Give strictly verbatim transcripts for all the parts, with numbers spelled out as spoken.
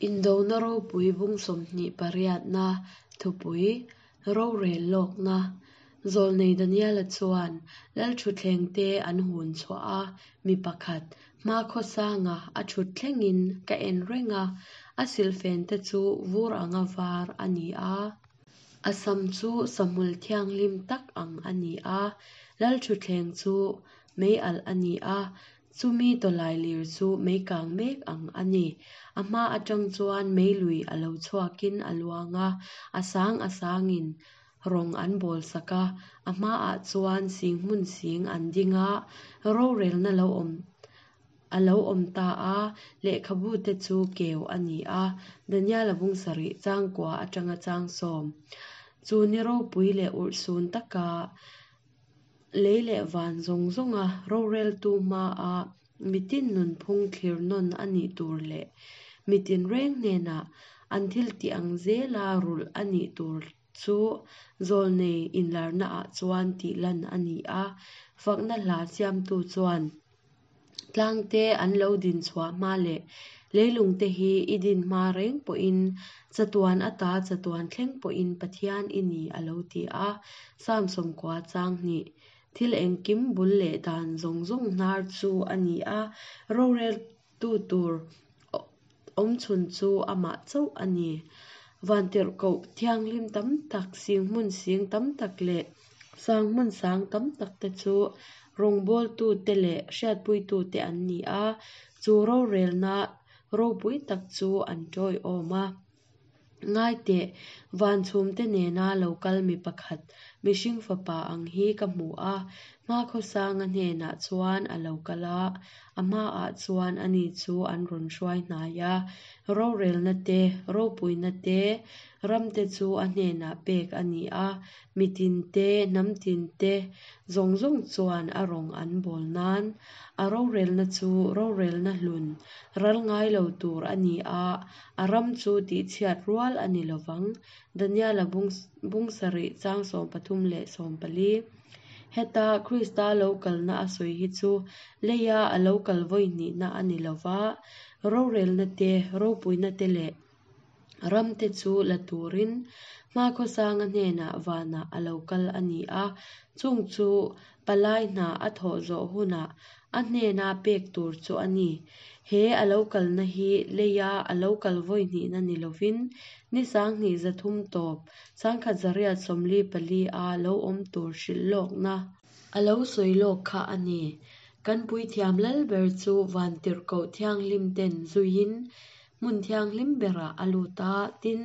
Indona ropui bung sawmhnih pariatna thupui rorel lawkna Zawlnei Daniela chuan lalthutthleng te an hun chhuah a, mi pakhat hmakhawsanga a thut thlengin ka en reng a, a silhfen te chu vur anga var a ni a. A sam chu sahmul thianghlim tak ang a ni a, lalthutthleng chu mei alh a ni a, chumi tawlailir chu mei kang mek ang a ni. A hma atang chuan mei lui a lo chhuakin a luang a, a sang a sangin rawng an bawl sak a, a hmaah chuan sing hmun sing an ding a, rorelna lo awm a lo awm ta a, lehkhabu te chu keu a ni a, Daniela bung sarih changkua atanga chang sawm. Chu ni ropui leh urhsun taka lei leh van zawng zawnga roreltu hmaa mitin nunphung thlir nawn a nih tur leh mitin reng hnenah an thil tih ang zela rulh a nih tur chu zawlnei inlarnaah chuan tih lan a ni a, fakna hla siamtu chuan tlangte an lo din chhuah hma leh leilung te hi i din hma reng pawhin chatuan ata chatuan thleng pawhin Pathian i ni a lo ti a, Psalm sawmkua chang hnih. Thil engkim bul leh dan zawng zawng hnar chu a ni a, roreltu tur awmchhun chu amah chauh a ni. Vantirhkoh thianghlim tam tak, sing hmun sing tam tak leh sang hmun sang tam tak te chu rawngbawltu te leh hriatpuitu te an ni a, chu rorelna ropui tak chu an tawiawm a. Ngai teh, van chhum te nena lo kal mi pakhat, mihring fapa ang hi ka hmu a, hmakhawsanga hnenah chuan a lo kal a, a hmaah chuan ani chu an rawn hruai hnai a, rorelna te, ropuina te, ram te chu a hnenah pek a ni a, mitin te, hnam tin te zawng zawng chuan a rawng an bawl nan. A rorelna chu rorelna hlun, ral ngai lo tur a ni a, a ram chu tihchhiat rual a ni lovang. Daniela bung bung sarih chang sawm pathum leh sawm pali. Heta Krista lo kalna a sawi hi chu leia a lo kal vawi hnihna a ni lova, rorelna te, ropuina te leh ram te chu la turin hmakhawsanga hnenah vanah a lo kal a ni a, chung chu palai hna a thawh zawh hunah a hnena pek tur chu a ni. He a lo kalna hi leia a lo kal vawi hnihna ni lovin ni sanghnih zathum tawp sangkhat zariat sawmli pali a lo awm tur hrilh lawkna a lo sawi lawk kha a ni. Kan puithiam lal ber chu vantirhkoh thianghlim ten zuiin hmun thianghlim berah a lut a, tin,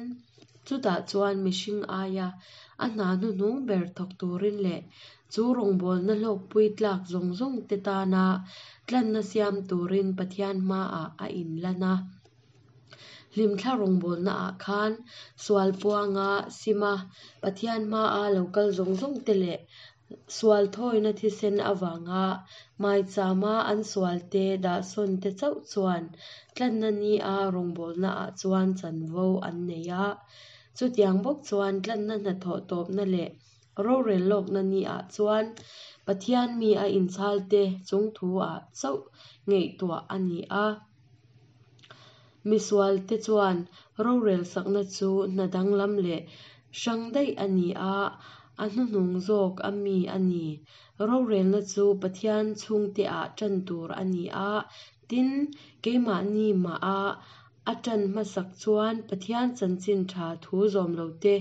chutah chuan mihring aia a hna hnuhnung ber thawk turin leh chu rawngbawlna hlawkpui tlak zawng zawng te tana tlanna siam turin Pathian hmaah a inlan a. Hlimthla rawngbawlnaah khan sual puanga sima Pathian hmaa lo kal zawng zawng te leh sual thawina thisen avanga maichama an sual te dahsawn te chauh chuan tlanna ni a rawngbawlnaah chuan chanvo an nei a. Chutiang bawk chuan tlanna hnathawh tawpna leh rorel lawkna ni ah chuan Pathian mi a inchhal te chungthu ah chauh ngaihtuah a ni a. Misual te chuan rorel sakna chu hna danglam leh hrang daih a ni a, a hnuhnung zawk a mi a ni. Rorelna chu Pathian chhungte ah tan tur a ni a, tin, keimahni mah a a tan hmasak chuan Pathian chanchin tha thu zawm lo te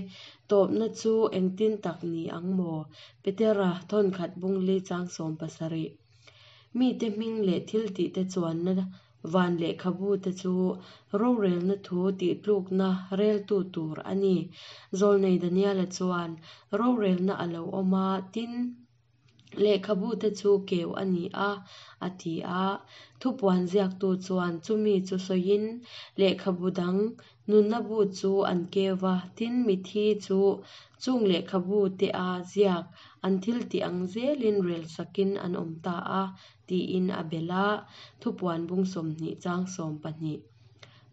tawpna chu engtin tak ni ang maw? Petera thawnkhat bungli chang sawm pasarih. Mi te hming leh thil tih te chuanna van lehkhabu te chu rorelna thu tih tlukna reltu tur a ni. Zawlnei Daniela chuan rorelna a lo awm a, tin, lehkhabu te chu keu a ni a, a ti a. Thupuan ziaktu chuan chumi chu sawiin lehkhabu dang nunna bu chu an keu va, tin mithi chu chung lehkhabu te a ziak an thil tih ang zelin rel sakin an awm ta a, tiin a bel a. Thupuan bung sawmhnih chang sawm pahnih.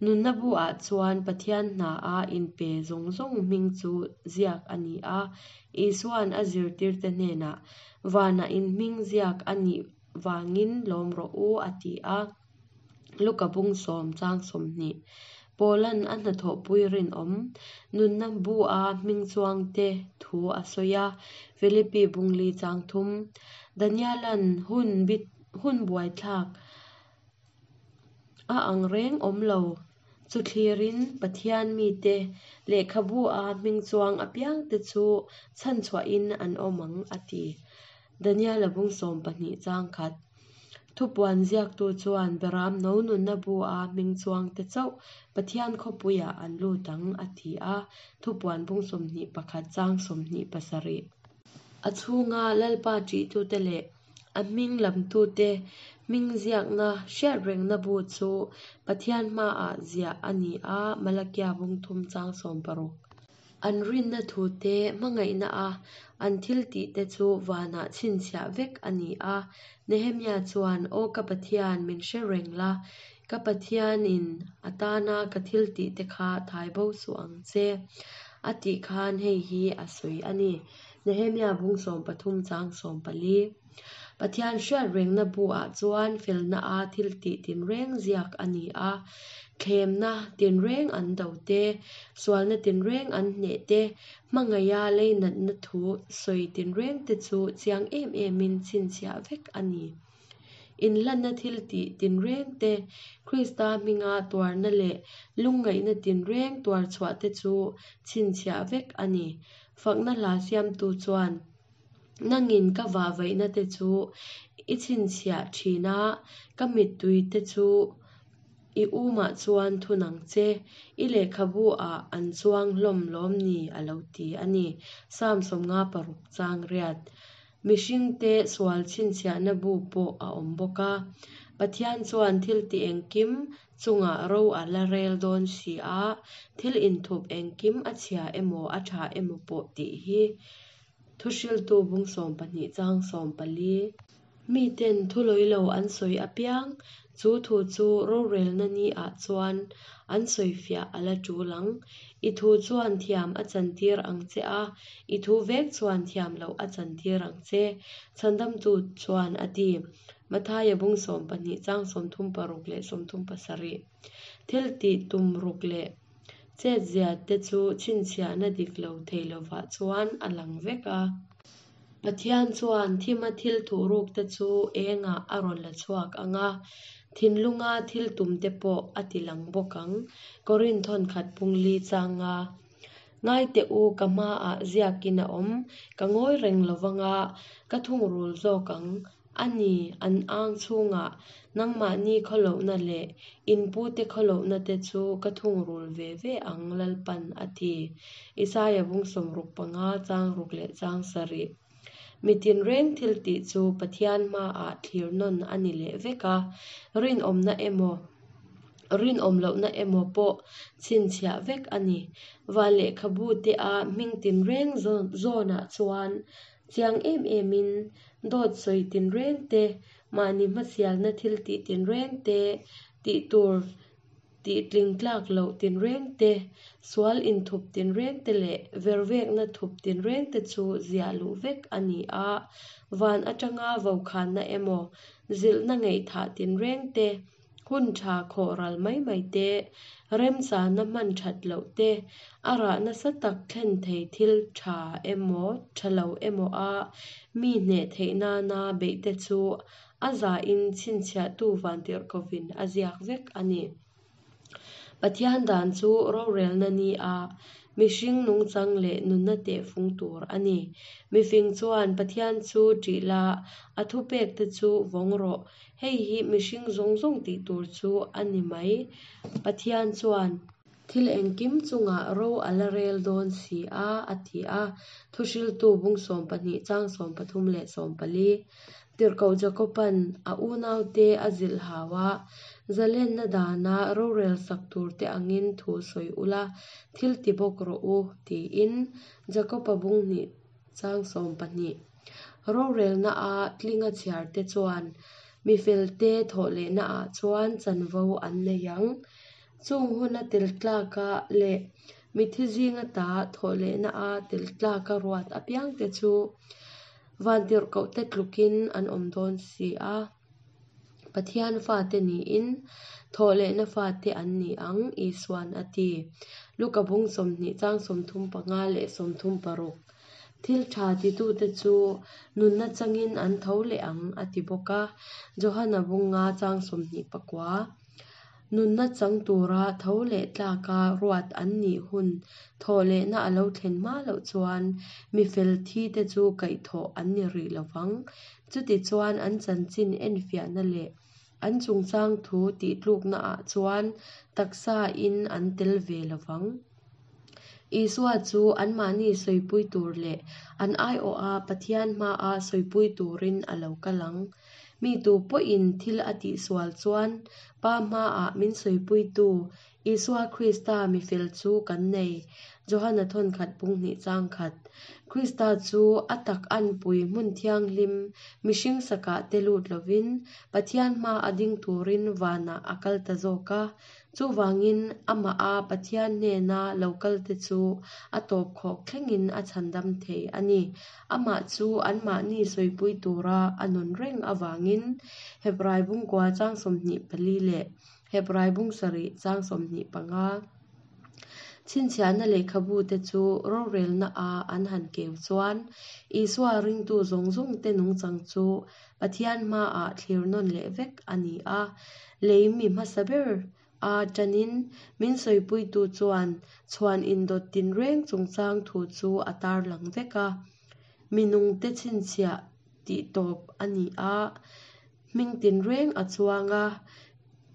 Nunna bu ah chuan Pathian hna a inpe zawng zawng hming chu ziak a ni a, Isuan a zirtir te hnenah vanah in hming ziak a nih vangin lawm rawh u a ti a. Luka bung sawm chang sawmhnih. Paula'n a hnathawhpui rinawm, nunna bu-a hming chuangte thu a sawi a, Philippi bung li chang thum. Daniela'n hun hun buaithlak a ang reng awm lo chu thlirin Pathian mite lehkhabu-a hming chuang apiangte chu chhanchhuahin an awm ang a ti. Daniela bung sawm pahnih chang khat. Thupuan ziaktu chuan Beram no nunna bu-a hming chuangte chauh Pathian khawpuiah an lut ang a ti a, Thupuan bung sawmhnih pakhat chang sawmhnih pasarih. A chhunga Lalpa ṭihtute leh a hming lamtute hming ziakna hriatrengna bu chu Pathian hmaah ziah a ni a, Malakia bung thum chang sawm paruk. An rinna thute hmangaihna a an thil tihte chu vanah chhinchhiah vek a ni a. Nehemia chuan, Aw ka Pathian, min hre reng la, ka Pathianin a tana ka thil tihte kha thai bo suh ang che, a tih khan hei hi a sawi a ni. Nehemia bung sawm pathum chang sawm pali. Pathian hriatrengna bu-ah chuan felna a thil tih tinreng ziak a ni a, thlemna tinreng an do te, sualna tinreng an hneh te, hmangaiha leinatna thu sawi tinreng te chu chiang em emin chhinchhiah vek a ni. Inhlanna thil tih tinreng te, Krista hminga tuarna leh lungngaihna tinreng tuar chhuah te chu chhinchhiah vek a ni. Fakna hla siamtu chuan nangin ka vahvaihna te chu i chhinchhiah thin a, ka mittui te chu i umah chuan thun ang che, i lehkhabu-ah an chuang hlawm lawm ni a lo ti a ni. Psalm sawmnga paruk chang riat. Mihringte sual chhinchhiahna bu pawh a awm bawk a. Pathian chuan thil ti engkim chungah ro a la rel dawn si a, thil inthup engkim a chhia emaw a tha emaw pawh tih hi. Thuhriltu bung sawm pahnih chang sawm pali. Miten thu lawi lo an sawi apiang, chu thu chu rorelna ni ah chuan an sawi fiah a la tul ang. I thu chuan thiam a chantir ang che a, i thu vek chuan thiam loh a chantir ang che, Chhandamtu chuan a ti. Mathaia bung sawm pahnih chang sawmthum paruk leh sawmthum pasarih. Thil tih tum ruk leh chetzia te chu chhinchhiahna dik lo thei lovah chuan a lang vek a. Pathian chuan thima thil thuhruk te chu engah a rawn la chhuak ang a, thinlunga thil tum te pawh a ti lang bawk ang. Korinthon khat bung li chang nga. Ngai teh u ka hmaah ziakin a awm, ka ngawi reng lovanga ka thungrul zawk ang. A ni, an ang chhungah nangmahni khawlohna leh in pute khawlohna te chu ka thungrul ve ve ang Lalpan a ti. Isaia bung sawmruk panga chang ruk leh chang sarih. Mi tinreng thil tih chu Pathian hmaah thlir nawn a ni leh vek a, rinawmna emaw rinawm lohna emaw pawh chhinchhiah vek a ni. Van lehkhabu te a hming tinreng zawnah chuan chiang em emin dawt sawi tinreng te, mahni hmasialna thil tih tinreng te, tih tur tih tling tlak loh tinreng te, sual inthup tinreng te leh vervekna thup tinreng te chu ziah luh vek a ni a. Van atanga vokhanna emaw, zilhna ngaihthah tinreng te, hun tha khawh ral mai mai te, remchana hman that loh te, a rah nasa tak thlen thei thil tha emaw tha lo emaw a mi hneh theih nana beih te chu a zain chhinchhiahtu vantirhkovin a ziak vek a ni. Pathian dan chu rorelna ni a, mihring nungchang leh nunna tehfung tur a ni. Mifing chuan Pathian chu ṭih la, a thupek te chu vawng rawh. Hei hi mihring zawng zawng tih tur chu a ni mai. Pathian chuan thil engkim chungah ro a la rel dawn si a, a ti a. Thuhriltu bung sawm pahnih chang sawm pathum leh sawm pali. Tirhkoh Jakoban a unaute a zilh hau a, zalenna dana rorel sak tur te angin thu sawi ula, thil ti bawk rawh u, tiin Jakoba bung hnih chang sawm pahnih. Rorelna a tlinga chhiar te chuan mifelte thawhlehna ah chuan chanvo an nei ang. Chung huna tel tlaka leh mithi zinga ta thawhlehna a tel tlaka ruat apiang te chu vantirhkoh te tlukin an awm dawn si a. Pathian fate niin thawhlehna fate an ni ang, Isuan a ti. Luka bung sawmhnih chang sawmthum panga leh sawmthum paruk. Thil tha titute chu nunna changin an tho leh ang, a ti bawk a. Johana bung nga chang sawmhnih pakua. Nunna chang tura tho leh tlaka ruat an nih hun thawhlehna a lo thlen hma loh chuan mi fel thite chu kaihthawh an ni rih lo vang. Chutichuan an chanchin enfiahna leh an chungchang thu tihtluknaah chuan taksain an tel ve lo vang. Isua chu anmahni sawipui tur leh an aiawha Pathian hmaa sawipui turin a lo kal ang. Mi tu pawhin thil a tihsual chuan Pa hmaah min sawipuitu Isua Krista mi fel chu kan nei, Johana thawnkhat bung hnih chang khat. Krista chu a tak anpui hmun thianghlim mihring sakah te lut lovin Pathian hmaa ding turin vanah a kal ta zawk a. Chuvangin amaha Pathian hnena lo kalte chu a tawp khawk thlengin a chhandam thei a ni. Amah chu anmahni sawipui tura a nun reng avangin Hebrai bung kua chang sawmhnih pali leh Hebrai bung sarih chang sawmhnih panga. Chhinchhiahna lehkhabute chu rorelnaah an han keu chuan Isua ringtu zawng zawngte nungchang chu Pathian hmaah thlir nawn leh vek a ni a. Lei mi hmasa ber a tanin min sawipuitu chuan chhuan indawt tinreng chungchang thu chu a tarlang vek a. Mi nungte chhinchhiah tih tawp a ni a, hming tinreng a chuang a,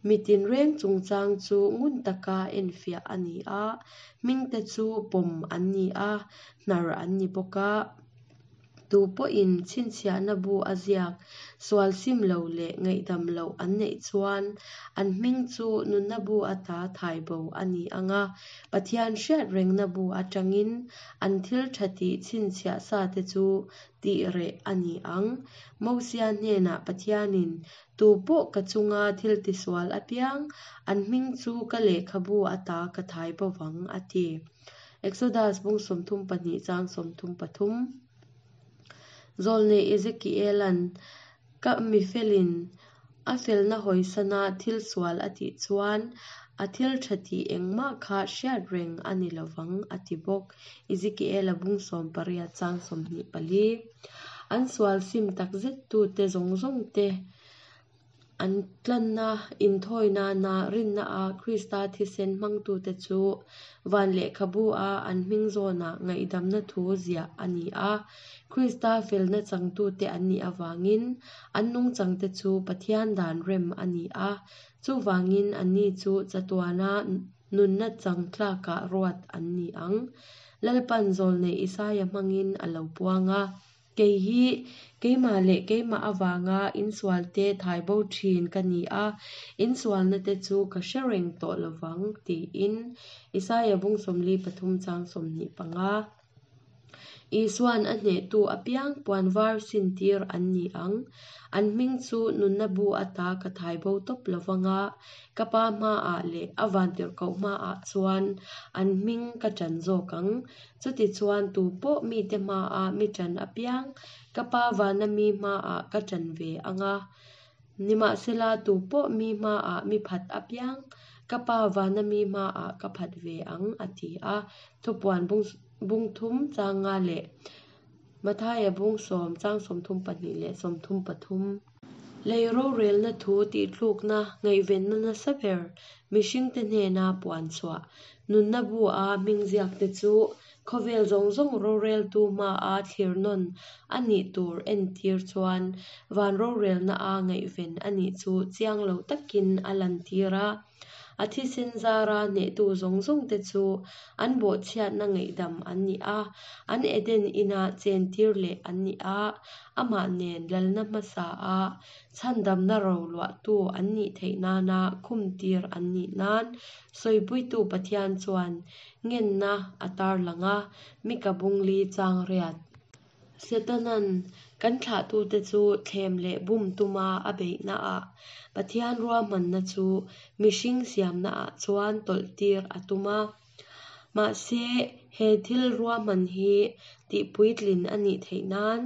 mi tinreng chungchang chu ngun taka enfiah a ni a, hmingte chu pawm an ni a, hnar an ni bawk a. Tu pawhin chhinchhiahna bu a ziak, sual sim lo leh ngaihdam loh an neih chuan an hming chu nunna bu ata thai bo a ni ang a, Pathian hriat rengna bu atangin an thil tha tih chhinchhiah sa te chu tih reh a ni ang. Mosia hnenah Pathianin tu pawh ka chunga thil tisual apiang an hming chu ka lehkhabu ata ka thai bo vang, a ti. Exodus bung sawmthum pahnih chang sawmthum pathum. Zawlnei Ezekiela'n ka mi felin a felna hawisana thil sual a tih chuan a thil tha tih engmah kha hriat reng a ni lo vang, a ti bawk. Ezekiela bung sawm pariat chang sawmhnih pali. An sual sim takzet tute zawng zawng te an tlanna inthawi nana rinna a Krista thisen hmangtute chu van lehkhabu a an hming zawnah ngaihdamna thu ziah a ni a. Krista felna changtute an nih avangin an nungchangte chu Pathian dan rem a ni a. Chuvangin anni chu chatuana nunna chang tlakah ruat an ni ang. Lalpan zawlnei Isaia hmangin a lo puang a. Kei hi keimah leh keimah avanga insualte thai bo thin ka ni a, insualna te chu ka hre reng tawh lo vang, tiin Isaia bung sawmli pathum chang sawmhnih panga. Isuan a hnehtu apiang puan var sin tir an ni ang. An hming chu nunna bu ata ka thai bo tawp lo vanga, ka pa hmaah leh a vantirhkoh hmaah chuan an hming ka ṭan zawk ang. Chutichuan tu pawh mite hmaah mi ṭan apiang ka pa vana mi hmaah ka ṭan ve ang a. Nimahsela tu pawh mi hmaah mi phat apiang ka pa vana mi hmaah ka phat ve ang, a ti a. Thupuan bung bung thum chang nga leh Mathaia bung sawm chang sawmthum pahnih leh sawmthum pathum. Lei rorelna thu tihtlukna ngaihvenna nasa ber mihringte hnena puan chhuah nunna bu a hming ziakte chu khawvel zawng zawng roreltu hmaa thlir nawn a nih tur entir chuan van rorelna a ngaihven a nih chu chiang lo takin a lantir a. A thisen zara hnehtu zawng zawngte chu an bawhchhiatna ngaihdam an ni a, an Eden inah chentir leh an ni a, amah nen lalna hmasa a chhandamna ro luahtu an nih theih nana khumtir an nih nan sawipuitu Pathian chuan ngenna a tarlang a, Mika bung li chang riat. Setanan kan thlahtute chu thlem leh bum tuma a beihnaah Pathian ruahmanna chu mihring siamnaah chuan tawlhtir a tum a. Mahse he thil ruahman hi tihpuitlin a nih theih nan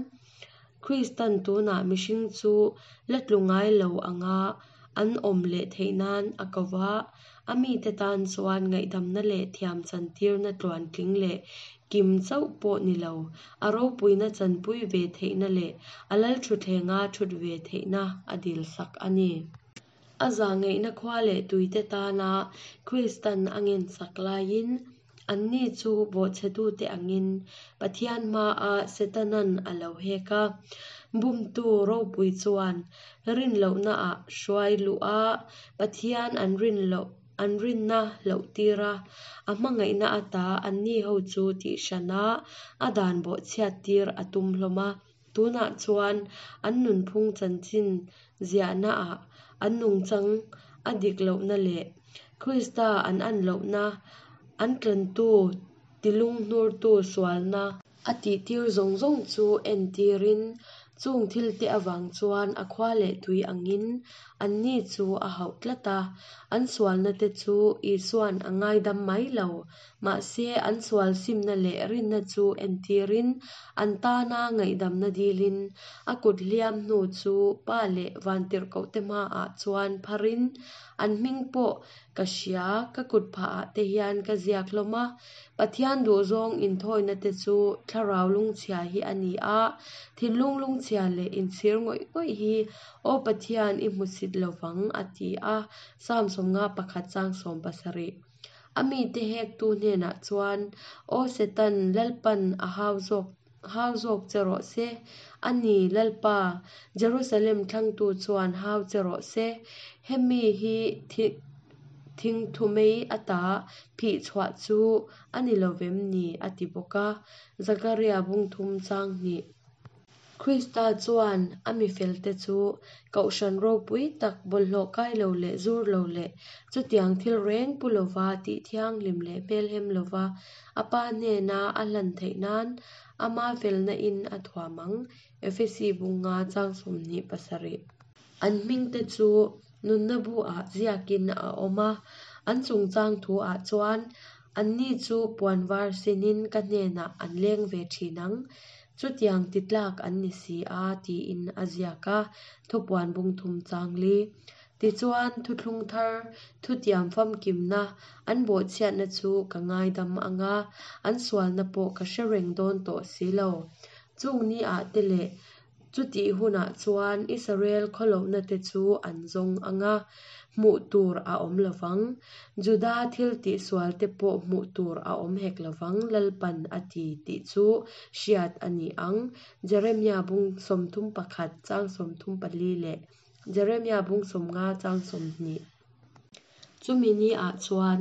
Kristan tunah mihring chu la tlu ngai lo anga an awm leh theih nan a ko va, a mite tan chuan ngaihdamna leh thiam chantirna tluantling leh kim chauh pawh ni lo, a ropuina chanpui ve theihna leh a lalthutthlenga thut ve theihna a dilsak a ni. A zahngaihna khua leh tuite tana Kristan a ngensak laiin, anni chu bawhchhetute angin Pathian hmaah Setanan a lo hek a. Bumtu ropui chuan rin lohnaah hruai luh a, Pathian an rin loh an rinna loh tir a, a hmangaihna ata anni ho chu tihhran a, a dan bawhchhiat tir a tum hlawm a. Tunah chuan an nunphung chanchin ziahnaah an nungchang a dik lohna leh Krista an an lohna, an tlantu tilunghnurtu sualna a tihtir zawng zawng chu entirin, chung thilte avang chuan a khua leh tui angin anni chu a hauh tlat a. An sualna te chu Isuan a ngaidam mai lo, mahse an sual simna leh rinna chu entirin an tana ngaihdamna dilin a kut hliam hnu chu Pa leh vantirhkohte hmaah chuan pharin, An hming pawh ka hria, ka kut phahah te hian ka ziak hlawm a. Pathian duhzawng inthawina te chu thlarau lungchhia hi a ni a, thinlung lungchhia leh inchhir ngawih ngawih hi Aw Pathian i hmusit lovang a ti a, Psalm sawmnga pakhat chang sawm pasarih. A mite hektu hnenah chuan, Aw Setan, Lalpan a hau zawk hau zawk che rawh se. A ni, Lalpa, Jerusalem thlangtu chuan hau che rawh se. Hemi hi thingthumei ata phih chhuah chu a ni lovem ni a ti bawk a. Zakaria bung thum chang hnih. Krista chuan a mi felte chu kohhran ropui tak bawlhhlawh kai lo leh zur lo leh chutiang thil reng pu lova tih thianghlim leh hmelhem lova a Pa hnena a hlan theih nan ama felna in a thuam ang, Efesi bunga chang sawmhnih pasarih. An hmingte chu nunna bu-ah ziakin a awm a, an chungchang thu-ah chuan anni chu puan var sinin ka hnenah an leng ve thin ang. Chutiang ti tlak an ni si a, tiin a ziak a, thupuan bung thum chang li. Tichuan, thuthlung thar, thutiam famkimna, an bawhchhiatna chu ka ngaidam ang a, an sualna pawh ka hre reng dawn tawh si lo. Chung ni ah te leh chutih hunah chuan Israel khawlohna te chu an zawng ang a, hmuh tur a awm lovang. Juda thil tihsual te pawh hmuh tur a awm hek lovang Lalpan a ti tih chu hriat a ni ang. Jeremia bung sawmthum pakhat chang sawmthum pali leh Jeremia bung sawmnga chang sawmhnih. Chumi ni ah chuan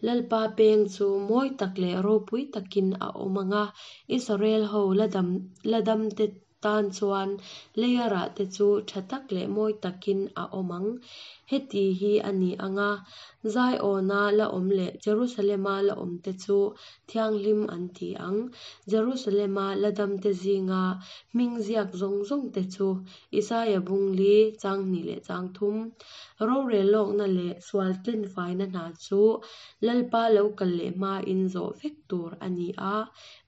Lalpa peng chu mawi tak leh ropui takin a awm ang a, Israel ho la dam la dam te tan chuan leia rah te chu tha tak leh mawi takin a awm ang. Heti hi a ni ang a, Zion-a la awm leh Jerusalem-a la awm te chu thianghlim an ti ang. Jerusalem-a la dam te zinga hming ziak zawng zawng te chu Isaia bung li chang hnih leh chang thum. Rorel lawkna leh sual tlenfaina hna chu Lalpa lo kal leh hmain zawh vek tur a ni a,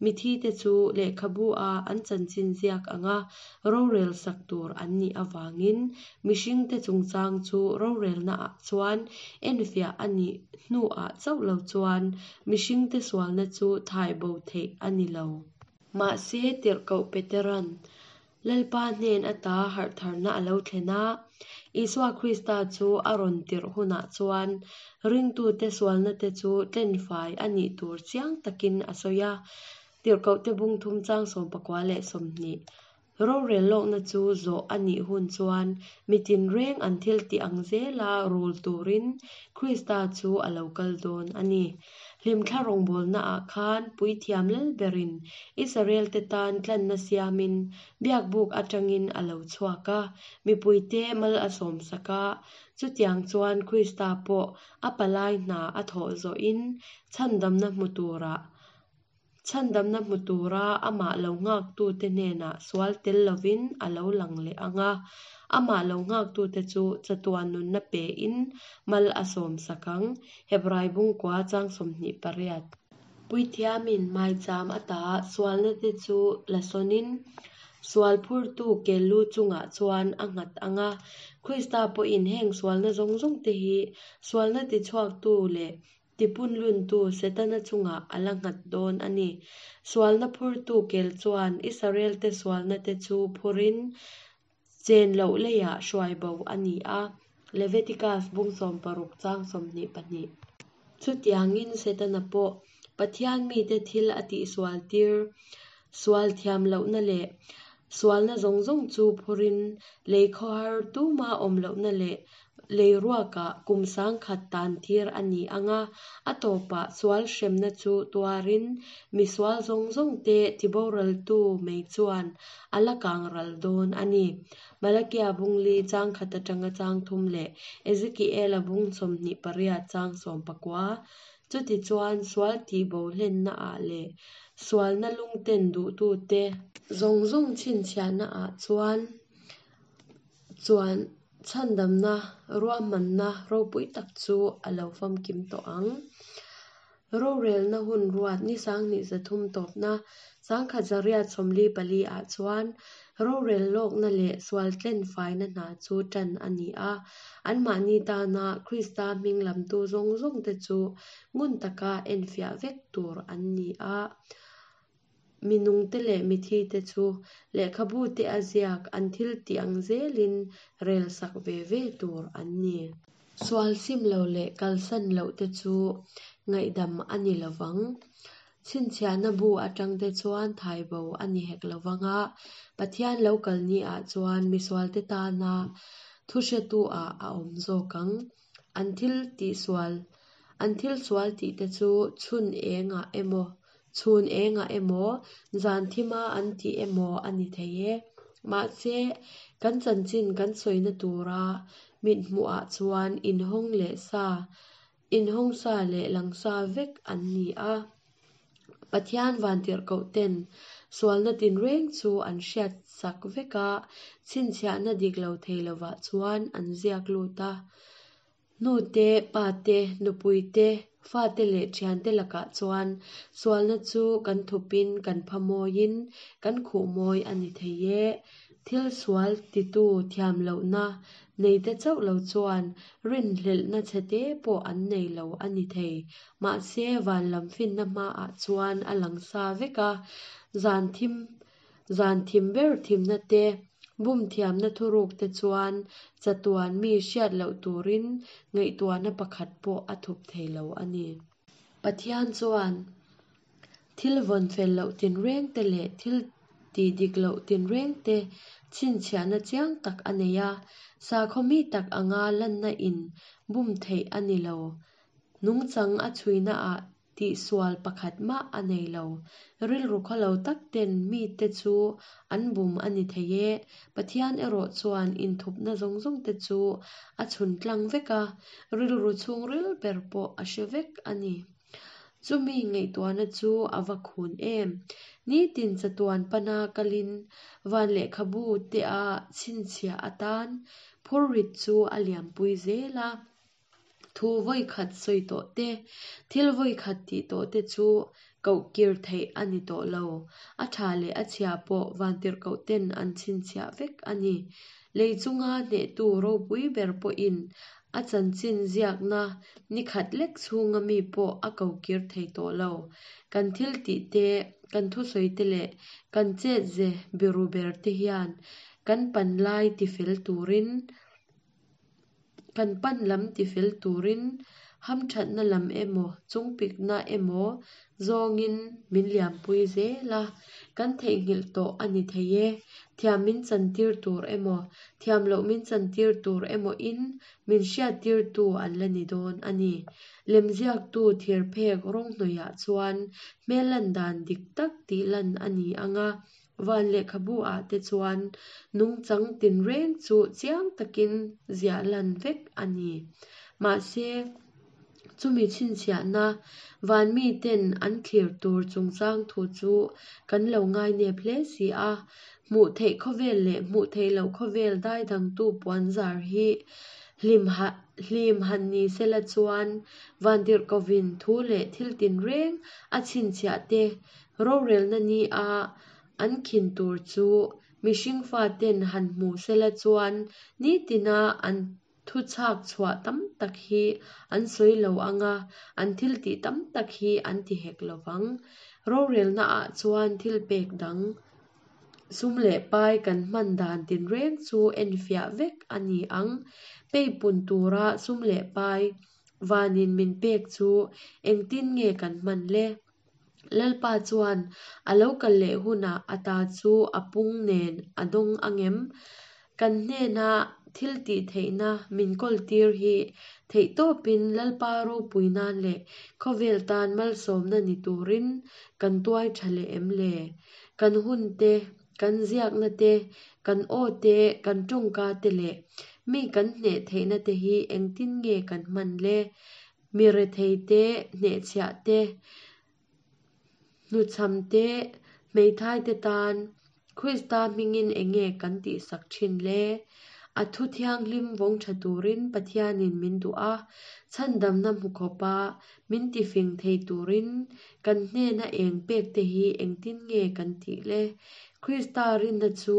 mithite chu lehkhabu-a an chanchin ziak anga rorel sak tur an nih avangin mihringte chungchang chu rorelnaah chuan enfiah a nih hnuah chauh lo chuan mihringte sualna chu thai bo theih a ni lo. Mahse, tirhkoh Peteran Lalpa hnen ata harhtharna a lo thlen a, Isua Krista chu a rawn tirh hunah chuan ringtute sualna te chu tlenfai a nih tur chiang takin a sawi a, tirhkohte bung thum chang sawm pakua leh sawmhnih. Rorel lawkna chu zawh a nih hun chuan mitin reng an thil tih ang zela rul turin Krista chu a lo kal dawn a ni. Hlimthla rawngbawlnaah khan puithiam lalberin Israel te tan tlanna siamin biakbuk atangin a lo chhuak a, mipuite mal a sawmsak a, chutiang chuan Krista pawh a palai hna a thawh zawhin chhandamna hmu turah chhandamna hmu tura amah lo nghaktute hnenah sual tel lovin a lo lang leh ang a, amah lo nghaktute chu chatuan nunna pein mal a sawmsak ang, Hebrai bungkua chang sawmhnih pariat. Puithiamin maicham ata sualna te chu la sawnin Sual phurtu kel lu chungah chuan a nghat anga. Krista pawhin heng sualna zawng zawng te hi sualna tichhuaktu leh tipunluntu Setana chungah a la nghat dawn a ni. Sualna phurtu kel chuan Israel te sualna te chu phurin chen loh leiah hruai bo a ni a. Leviticus bung sawm paruk chang sawmhnih pahnih. Chutiangin Setana pawh Pathian mite thil a tihsual tir sual thiam lohna leh sualna zawng zawng chu phurin lei khawhar tuma awm lohna leh lei ruakah kum sangkhat tan tir a ni anga, a tawpah sual hremna chu tuarin mi sual zawng zawng te tiboraltu mei chuan a la kang ral dawn a ni. Malakia bung li chang khat atanga chang thum leh Ezekiela bung sawmhnih pariat chang sawm pakua. Chutichuan sual tihbo hlenna ah leh sualna lungten duhtu te zawng zawng chhinchhiahna ah chuan chuan chhandamna ruahmanna ropui tak chu a lo famkim tawh ang. Rorelna hun ruat ni sanghnih zathum tawpna sangkhat zariat sawmli pali ah chuan rorel lawkna leh sual tlen faina hna chu tan a ni a. Anmahni tana Krista hming lamtu zawng zawng te chu ngun taka enfiah vek tur an ni a. Mi nungte leh mithi te chu lehkhabu te a ziak an thil tih ang zelin rel sak ve ve tur an ni. Sual sim lo leh kalsan loh te chu ngaihdam a ni lovang. Chhinchhiahna bu atang te chuan thai bo a ni hek lovanga, Pathian lo kal ni ah chuan misual te tana thu hretu ah a awm zawk ang. An thil tihsual an thil sual tih te chu chhun engah emaw chhun engah emaw zan thima an tih emaw a ni thei e. Mahse kan chanchin kan sawina tura mit hmuh ah chuan inhawng leh sa inhawng sa leh lang sa vek an ni a. Pathian vantirhkoh ten sualna tinreng chu an hriat sak vek a, chhinchhiahna dik lo thei lovah chuan an ziak lut a. Nu te, pa te, nupui te, fa te leh thian te lakah chuan sualna chu kan thupin kan phamoin kan khuh mawi a ni thei e. Thil sual titu thiam lohna nei te chauh lo chuan rinhlelhna chhete pawh an nei lo a ni thei. Mahse van lam finna hmaah chuan a lang sa vek a, zan thim zan thim ber thimna te bum thiamna thuruk te chuan chatuan mi hriat loh turin ngaihtuahna pakhat pawh a thup thei lo a ni. Pathian chuan thil vawn fel loh tinreng te leh thil tih dik loh tinreng te chhinchhiahna chiang tak a nei a. Sakhaw mi tak anga lanna in bum theih a ni lo. Nungchang a chhuina ah tihsual pakhat mah a nei lo. Rilru khawlo tak ten mi te chu an bum a ni thei e. Pathian erawh chuan inthupna zawng zawng te chu a chhun tlang vek a, rilru chhungril ber pawh a hre vek a ni. Chumi ngaihtuahna chu a va khun em. Nitin chatuan pana kalin van lehkhabu te a chhinchhiah atan phurrit chu a liampui zel a. Thu vawi khat sawi tawh te, thil vawi khat tih tawh te chu koh kir theih a ni tawh lo. A tha leh a chhia pawh vantirhkoh ten an chhinchhiah vek a ni. Lei chunga hnehtu ropui ber pawhin a chanchin ziakna ni khat lek chhunga mi pawh a ko kir thei tawh lo. Kan thil tih te, kan thusawi te leh kan chet ze biru ber te hian kan pan lai tifel turin kan pan lam tifel turin hamthatna lam emaw chungpikna emaw zawngin min liampui zel a. Kan theihnghilh tawh a ni thei e. Thiam min chantir tur emaw thiam loh min chantir tur emaw in min hriat tirtu an la ni dawn a ni. Lemziaktu thir phek rawng hnawihah chuan hmel lan dan dik tak tih lan a ni anga, van lehkhabu ah te chuan nungchang tinreng chu chiang takin ziah lan vek a ni. Mahse chumi chhinchhiahna van mi ten an thlir tur chungchang thu chu kan lo ngai nep hle si a. Hmuh theih khawvel leh hmuh theih loh khawvel daidangtu puan zar hi hlim ha hlim han ni sela chuan vantirhkohin thu leh thil tinreng a chhinchhiah te rorelna ni a an khin tur chu Mihring faten han hmu sela chuan nitina an thuchhak chhuah tam tak hi an sawi lo anga, an thil tih tam tak hi an ti hek lovang. Rorelnaah chuan thil pek dang, sum leh pai kan hman dan tinreng chu enfiah vek a ni ang. Peipun tura sum leh pai vanin min pek chu engtin nge kan hman le? Lalpa chuan a lo kal leh hunah a ta chu a pung nen a dawng angem? Kan hnena thil tih theihna min kawltir hi theihtawpin Lalpa ropui nan leh khawvel tan malsawmna ni turin kan tuai tha leh em le? Kan hun te, kan ziakna te, kan aw te, kan tawngka te leh mi kan hneh theihna te hi engtin nge kan hman le? Mi rethei te, hnehchhiah te, hnuchham te, hmeithai te tan Krista hmingin enge kan tihsak thin le? A thu thianghlim vawng tha turin Pathianin min duh a, chhandamna hmu khawpa min tifing thei turin kan hnena eng pek te hi engtin nge kan tih le? Krista rinna chu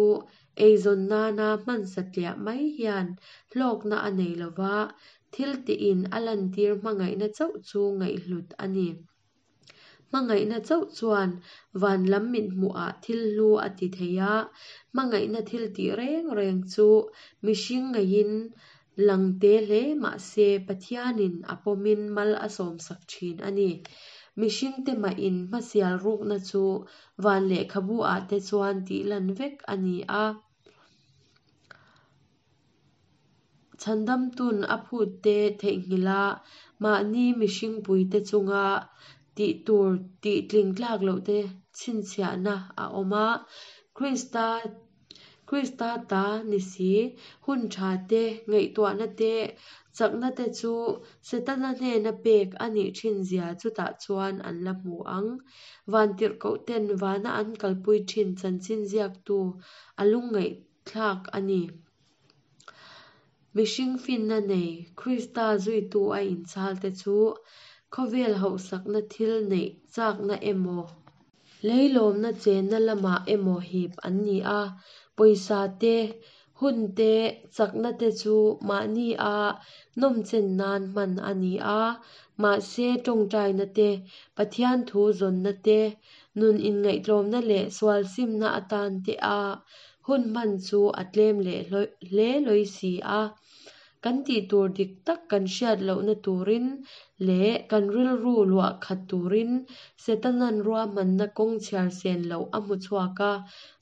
eizawn nana hman satliah mai hian hlawkna a nei lova, thil tihin a lantir hmangaihna chauh chu ngaihhlut a ni. Hmangaihna chauh chuan van lam mit hmuhah thil hlu a ti thei a, hmangaihna thil tih reng reng chu mihring ngaihin lang te hle mahse Pathianin a pawmin mal a sawmsak thin a ni. Mihring te mahin hmasial rukna chu van lehkhabu ah te chuan tih lan vek a ni a. Chhandamtun a phut te theihnghilh a, mahni mihringpui te chunga tih tur tih tling tlak loh te chhinchhiahna a awm a. Krista Krista ta ni si, hun tha te, ngaihtuahna te, chakna te chu Setana hnena pek a nih thin zia chutah chuan an la hmu ang. Vantirhkoh ten vana an kalpui thin chanchin ziaktu a lungngaihthlak a ni. Mihring finna nei Krista zuitu a inchhal te chu khawvel hauhsakna thil neih chakna emaw, leilawmna chenna lamah emaw hip an ni a. Pawisa te, hun te, chakna te chu mahni a nawmchen nan hman a ni a. Mahse tawngtaina te, Pathian thu zawnna te, nun inngaihtlawmna leh sual simna atan te a hun hman chu a tlem leh hle lawi si a. Kan tih tur dik tak kan hriat lohna turin leh kan rilru luah khat turin Setanan ruahmanna kawng chhiar sen loh a hmu chhuak a,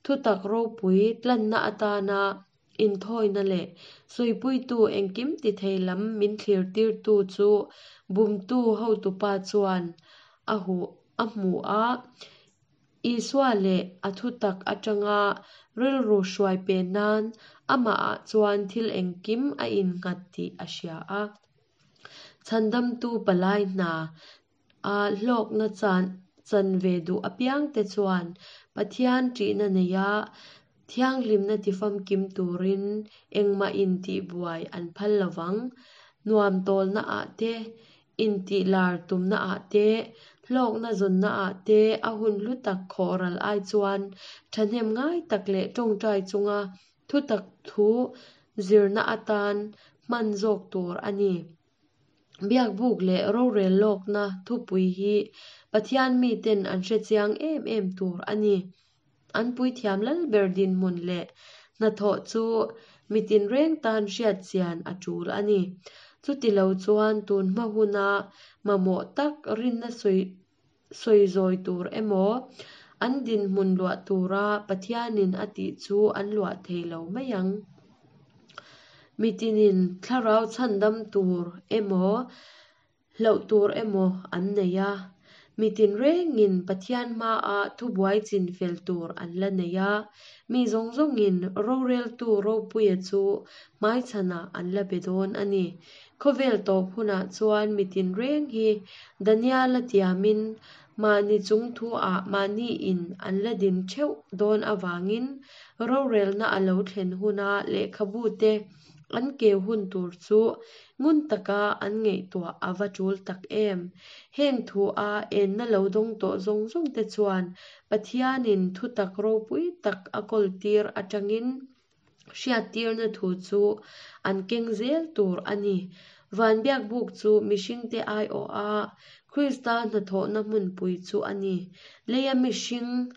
thutak ropui tlanna atana inthawina leh sawipuitu engkim ti thei lam min thlirtirtu chu bumtu hotupa chuan a hu a hmu a. Isua leh a thutak atanga rilru hruai pen nan amahah chuan thil engkim a innghat tih a hria a. Chhandamtu palai hna a hlawkna chan chan ve duh apiang te chuan Pathian ṭihna neia thianghlimna tifamkim turin engmah intihbuai an phal lovang. Nuam tawlnaah te, intihlar tumnaah te, hlawkna zawnnaah te a hun hlu tak khawhral ai chuan thahnem ngai tak leh tawngtai chunga thutak thu zirna atan hman zawk tur a ni. Biakbuk leh rorel lawkna thupui hi Pathian miten an hrechiang em em tur a ni. An puithiam lalber dinhmun leh hnathawh chu mitin reng tan hriatchian a tul a ni. Chutilo chuan tun hma huna mamawh tak rinna sawi sawizawi tur emaw, an dinhmun luah tura Pathianin a tih chu an luah thei lo mai ang. Mitinin thlarau chhandam tur emaw, hloh tur emaw an nei a. Mitin rengin Pathian hmaah thubuai chinfel tur an la nei a. Mi zawng zawngin roreltu ropuia chu hmaichhanah an la be dawn a ni. Khawvel tawp hunah chuan mitin reng hi Daniela tiamin mahni chung thu-ah mahniin an la din theuh dawn avangin rorelna a lo thlen huna lehkhabu te an keu hun tur chu ngun taka an ngaihtuah a va tul tak em. Heng thu a enna lo dawng tawh zawng zawng te chuan Pathianin thutak ropui tak a kawltir atangin hriattirna thu chu an keng zel tur a ni. Van biakbuk chu mihringte aiawh a, Krista hnathawhna hmunpui chu a ni. Leia mihring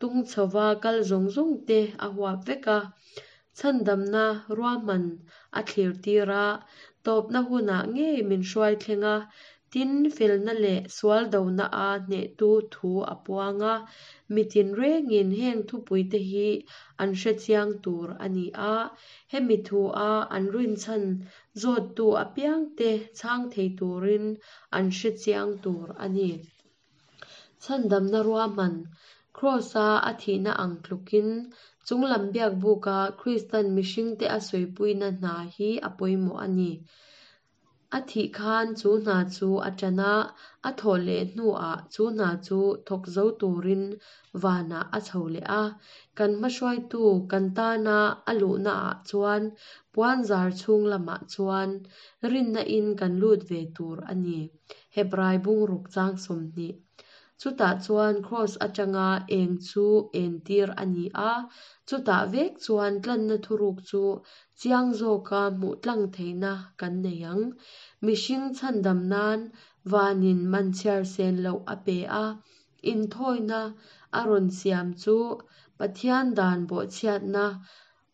tung chhova kal zawng zawng te a huap vek a, chhandamna ruahman a thlir tir a, tawpna hunah ngei min hruai thleng a, tin felna leh sual dona a hnehtu thu a puang a, mitin rengin heng thupuite hi an hrechiang tur a ni a, hemi thu a an rinchhan zawttu apiangte chhang thei turin an hrechiang tur a ni. Chhandamna ruahman Kraws-a a thihna ang tlukin chunglam biakbuka Kristan mihringte a sawipuina hna hi a pawimawh a ni. A thih khan chu hna chu a ṭan a, a thawh leh hnuah chu hna chu thawk zo turin vanah a chho leh a. Kan hmahruaitu kan tana a luhnaah chuan puanzar chhung lamah chuan rinna in kan lut ve tur a ni. Hebrai bungruk chang sawmhnih. Chutah chuan Kraws atanga eng chu entir a ni a, chutah vek chuan tlanna thuruk chu chiang zawka hmuh tlang theihna kan nei ang. Mihring chhandam nan vanin man chhiar sen loh a pe a, inthawina a rawn siam chu Pathian dan bawhchhiatna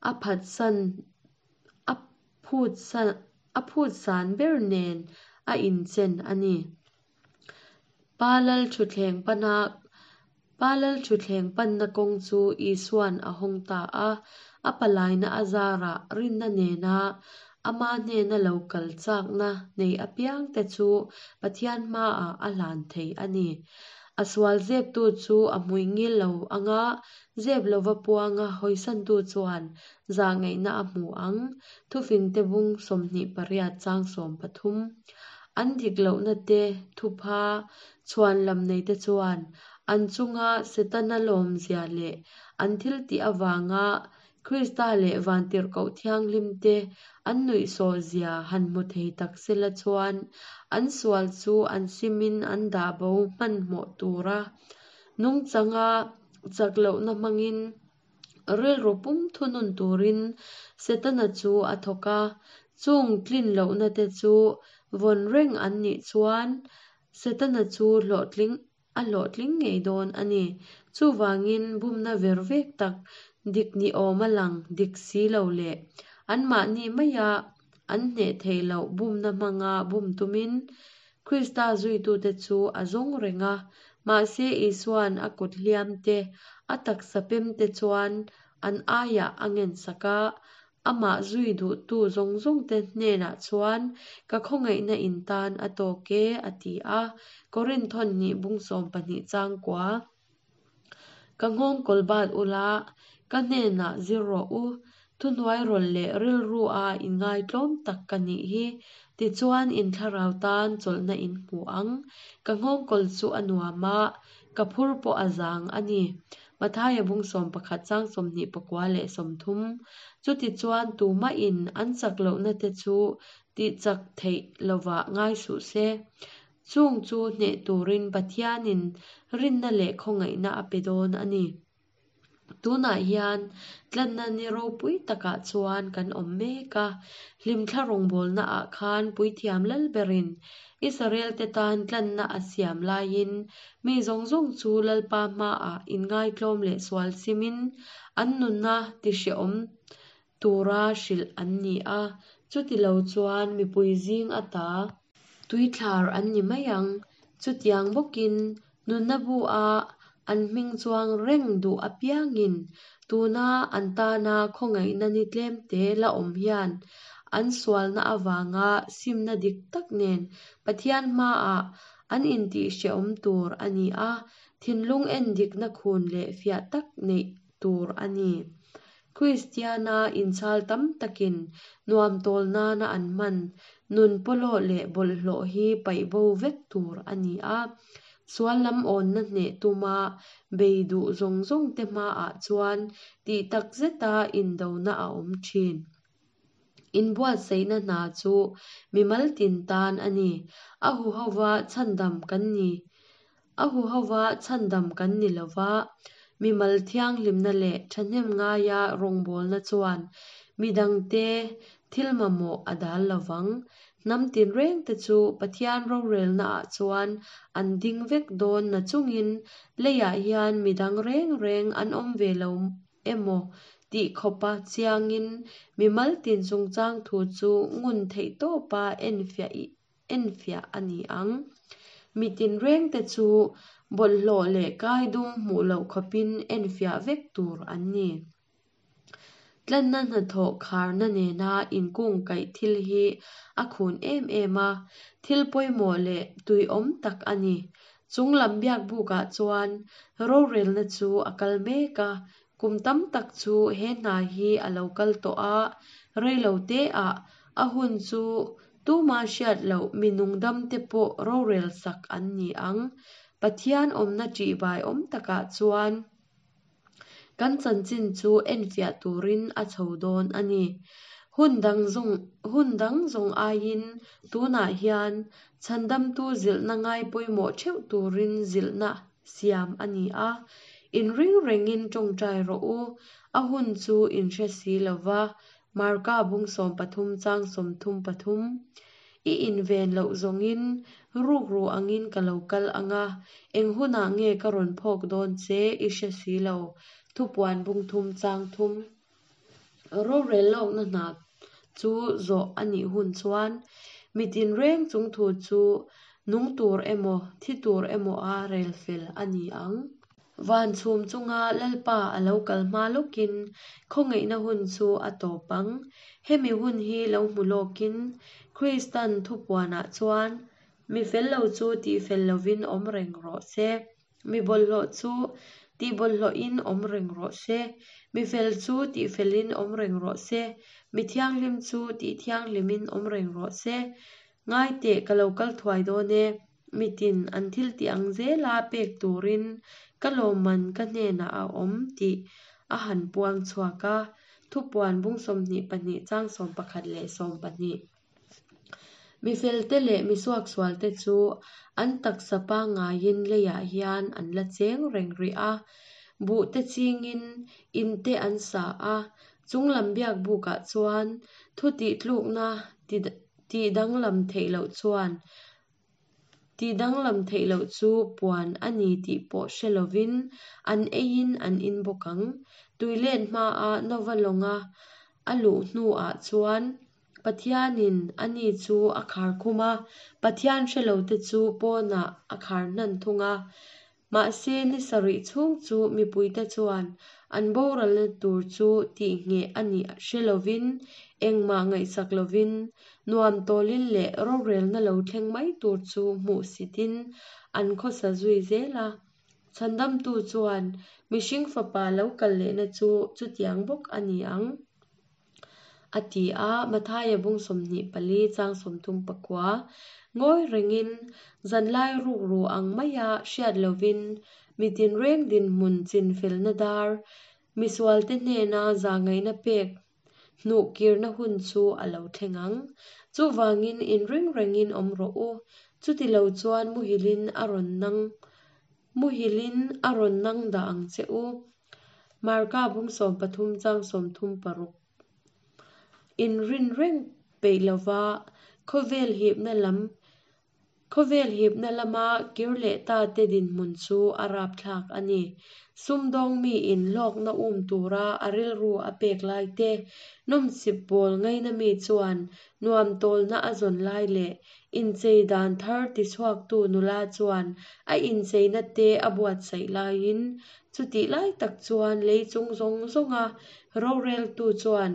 a phatsan a phutsan a phutsan ber nen a inchen a ni. Pa lal thutthleng pana Pa lal thutthleng panna kawng chu Isuan a hawng ta a, a palaina a zarah rinna nena ama hnena lo kal chakna nei apiangte chu Pathian hmaah a hlan thei a ni. A sual zeptu chu a hmuingil lo anga zep lova puanga hawisantu chuan zahngaihna a hmu ang. Thufingte bung sawmhnih pariat chang sawm pathum. An dik lohna te thupha chhuan lam nei te chuan an chunga Setana lawmzia leh an thil tih avanga Krista leh Vantirhkoh thianghlim te an nuihsawhzia han hmu thei tak sela chuan an sual chu an simin an dah bo hmanhmawh tura nungchanga chak lohna hmangin rilru pum thunun turin Setana chu a thawk a, chung tlin lohna te chu vawn reng an nih chuan Setana chu hlawhtling a hlawhtling ngei dawn a ni. Chuvangin bumna ver vek tak dik ni awm a lang dik si lo leh anmahni maia an hneh theih loh bumna hmanga bum tumin Krista zuitute chu a zawng reng a, mahse Isuan a kut hliam te a taksa pem te chuan an aiah a ngen sak a, amah zui duhtu zawng zawng te hnenah chuan ka khawngaihna in tan a tawk e a ti a. Korinth hnih bung sawm pahnih chang kua. Ka nghawngkawl bat ula, ka hnenah zir rawh u, thuhnuai rawlh leh rilru a inngaitlawm tak ka nih hi. Tichuan in thlarau tan chawlhna in hmu ang. Ka nghawngkawl chu a nuam a, ka phur pawh a zang a ni. Mathaia bung sawm pakhat chang sawmhnih pakua leh sawmthum. Chutichuan tumahin an chak lohna te chu tihchak theih lovah ngai suh se. Chung chu hneh turin Pathianin rinna leh khawngaihna a pe dawn a ni. Tunah hian tlanna ni ropui takah chuan kan awm mek a, hlimthla rawngbawlna ah khan puithiam lal berin Israel te tan tlanna a siam laiin mi zawng zawng chu Lalpa hmaah inngaitlawm leh sual simin an nunna tihrehawm tura hrilh an ni a, chutilo chuan mipui zing ata tuithlar an ni mai ang. Chutiang bawkin nunna bu a an hming chuang reng duh apiangin tuna an tana khawngaihna ni tlemte la awm hian an sualna avanga simna dik tak nen Pathian hmaah an intihhrehawm tur a ni a, thinlung en dikna khun leh fiah tak neih tur a ni. Kristiana inchhal tam takin nuam tawl nana an hman nun pawlawh leh bawlhhlawh hi paih bo vek tur a ni a, sual lam awnna hneh tuma bei duh zawng zawng te hmaah chuan tih tak zeta indona a awm thin. Inbuatsaihna hna chu mimal tin tan a ni. A huhova chhandam kan ni. A huhova chhandam kan ni lova, mimal thianghlimna leh thahnem ngaia rawngbawlna chuan midangte thil mamawh a dal lovang. Hnam tinrengte chu Pathian rorelnaah chuan an ding vek dawn nachungin leiah hian midang reng reng an awm ve lo emaw tih khawpa chiangin mimal tin chungchang thu chu ngun theih tawpa enfiah enfiah a ni ang. Mi tinrengte chu bawlhhlawh leh kaidum hmuh loh khawpin enfiah vek tur an ni. Tlanna hnathawh kharna nena inkungkaih thil hi a khun em em a, thil pawimawh leh tuiawm tak a ni. Chunglam biakbukah chuan rorelna chu a kal mek a, kum tam tak chu he hna hi a lo kal tawh a, reilo teah a hun chu tuma hriat loh mi nungdamte pawh rorel sak an ni ang. Pathian awmna ṭihbai awm takah chuan kan chanchin chu enfiah turin a chho dawn a ni. Hun dang zawng hun dang zawng aiin tunah hian chhandamtu zilhna ngai pawimawh theuh turin zilhna siam a ni a. Inring rengin tawngtai rawh u, a hun chu in hre si lova. Marka bung sawm pathum chang sawmthum pathum. I inven loh zawngin rukru angin ka lo kal anga, eng hunah nge ka rawn phawk dawn che i hre si lo. Thupuan bung thum chang thum. Rorel lawkna hna chu zawh a nih hun chuan mi tinreng chung thu chu nung tur emaw thi tur emaw a rel fel a ni ang. Van chhum chunga Lalpa a lo kal hma lawkin khawngaihna hun chu a tawp ang. Hemi hun hi lo hmu lawkin Kristan thupuanah chuan mi fel lo chu tih fel lovin awm reng rawh se. Mi bawlhhlawh chu tih bawlhhlawhin awm reng rawh se. Mi fel chu tih felin awm reng rawh se. Mi thianghlim chu tih thianghlimin awm reng rawh se. Ngai teh ka lo kal thuai dawn e. Mitin an thil tih ang zela pek turin ka lawmman ka hnenah a awm tih a han puang chhuak a. Thupuan bung sawmhnih pahnih chang sawm pakhat leh sawm pahnih. Mi felte leh mi suaksualte chu an taksa pangngaiin leiah hian an la cheng reng rih a. Buh te chingin in te an sa a, chunglam biakbukah chuan thu tih tlukna tih danglam theih loh chuan tih danglam theih loh chu puan a ni tih pawh hre lovin an eiin an in bawk ang. Tuilet hmaa Nova lawnga a luh hnuah chuan Pathianin ani chu a khar khum a, Pathian hre lote chu pawnah a khar hnan thung a. Mahse ni sarih chhung chu mipuite chuan an boralna tur chu tih ngheh a nih hre lovin engmah ngaihsak lovin nuam tawlin leh rorelna lo thleng mai tur chu hmuh sitin an khawsa zui zel a. Chhandamtu chuan mihring fapa lo kal lehna chu chutiang bawk a ni ang. A ti a, Mathaia bung sawmhnih pali chang sawmthum pakua. Ngawi rengin zanlai rukru ang maia hriat lovin mi tinreng dinhmun chinfelna dar misualte hnena zahngaihna pek hnuh kirna hun chu a lo thleng ang. Chuvangin inring rengin awm rawh u. Chuti lo chuan muhilin a rawn nang muhilin a rawn nang dah ang che u. Marka bung sawm pathum chang sawmthum paruk. Inrin reng peih lova khawvel hipna lam khawvel hipna lama kir leh ta te dinhmun chu a rapthlak a ni. Sumdawng mi in hlawkna um tura a rilru a pek lai te, nawmsip bawl ngaina mi chuan nuam tawlna a zawn lai leh inchei dan thar tichhuaktu nula chuan a incheina te a buatsaih laiin chutih lai tak chuan lei chung zawng zawnga roreltu chuan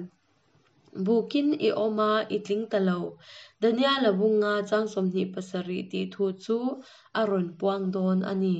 bukin i awm a i tling ta lo. Daniela bunga chang sawmhnih pasarih tih thu chu a rawn puang dawn a ni.